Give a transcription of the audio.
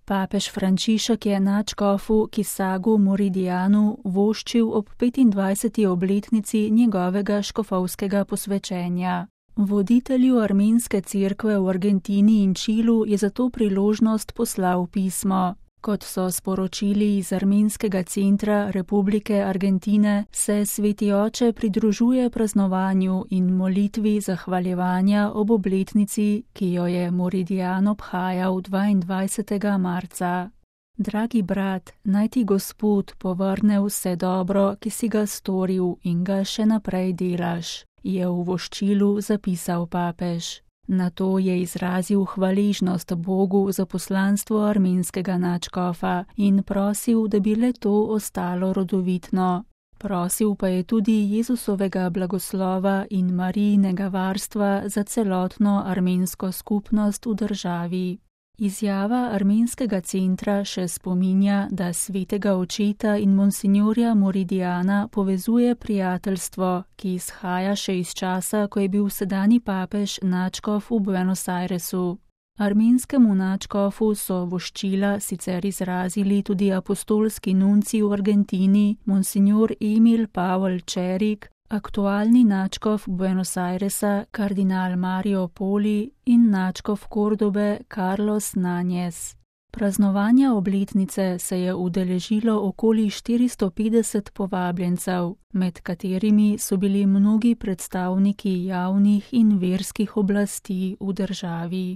Papež Frančišek je nadškofu Kisagu Moridijanu voščil ob 25. obletnici njegovega škofovskega posvečenja. Voditelju armenske cerkve v Argentini in Čilu je za to priložnost poslal pismo. Kot so sporočili iz Armenskega centra Republike Argentine, se Sveti oče pridružuje praznovanju in molitvi zahvaljevanja ob obletnici, ki jo je Moridijan obhajal 22. marca. Dragi brat, naj ti Gospod povrne vse dobro, ki si ga storil in ga še naprej delaš, je v voščilu zapisal papež. Nato je izrazil hvaležnost Bogu za poslanstvo armenskega nadškofa in prosil, da bi le to ostalo rodovitno. Prosil pa je tudi Jezusovega blagoslova in Marijinega varstva za celotno armensko skupnost v državi. Izjava Armenskega centra še spominja, da svetega očeta in monsinjorja Moridijana povezuje prijateljstvo, ki izhaja še iz časa, ko je bil sedanji papež nadškof v Buenos Airesu. Armenskemu nadškofu so voščila sicer izrazili tudi apostolski nunci v Argentini, monsinjor Emil Pavel Čerik, aktualni nadškof Buenos Airesa kardinal Mario Poli in nadškof Kordobe Carlos Nanjes. Praznovanja obletnice se je udeležilo okoli 450 povabljencev, med katerimi so bili mnogi predstavniki javnih in verskih oblasti v državi.